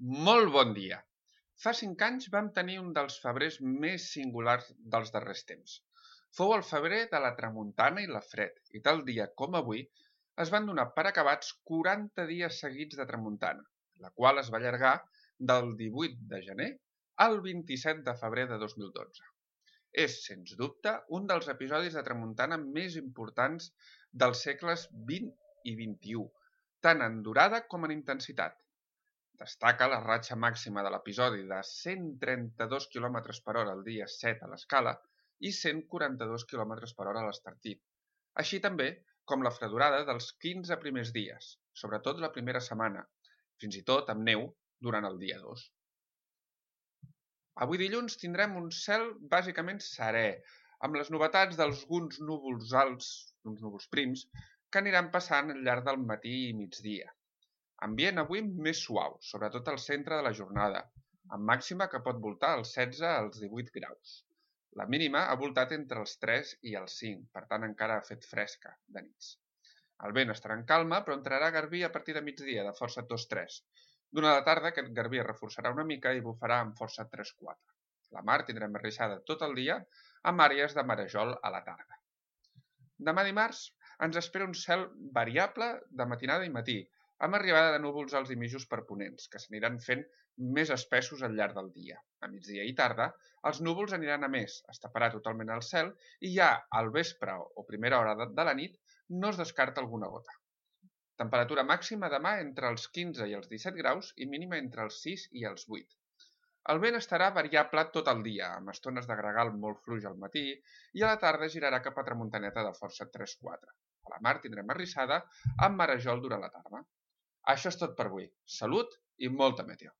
Molt bon dia! Fa 5 anys vam tenir un dels febrers més singulars dels darrers temps. Fou el febrer de la tramuntana i la fred, i tal dia com avui es van donar per acabats 40 dies seguits de tramuntana, la qual es va allargar del 18 de gener al 27 de febrer de 2012. És, sens dubte, un dels episodis de tramuntana més importants dels segles XX i XXI, tant en durada com en intensitat. Destaca la ratxa màxima de l'episodi de 132 km per hora el dia 7 a l'escala i 142 km per hora a l'Estartit, així també com la fredurada dels 15 primers dies, sobretot la primera setmana, fins i tot amb neu durant el dia 2. Avui dilluns tindrem un cel bàsicament serè, amb les novetats d'alguns núvols alts, uns núvols prims, que aniran passant al llarg del matí i migdia. Ambient avui més suau, sobretot al centre de la jornada, amb màxima que pot voltar als 16 als 18 graus. La mínima ha voltat entre els 3 i els 5, per tant encara ha fet fresca de nits. El vent estarà en calma, però entrarà garbí a partir de migdia, de força 2-3. Durant la tarda aquest garbí es reforçarà una mica i bufarà amb força 3-4. La mar tindrem arrissada tot el dia, amb àrees de marejol a la tarda. Demà dimarts ens espera un cel variable de matinada i matí, amb arribada de núvols alts i mitjos per ponents, que s'aniran fent més espessos al llarg del dia. A migdia i tarda, els núvols aniran a més, es taparà totalment el cel i ja al vespre o primera hora de la nit no es descarta alguna gota. Temperatura màxima demà entre els 15 i els 17 graus i mínima entre els 6 i els 8. El vent estarà variable tot el dia, amb estones de gregal molt fluix al matí i a la tarda girarà cap a tramuntaneta de força 3-4. A la mar tindrem arrissada amb marejol durant la tarda. Això és tot per avui. Salut i molta meteo!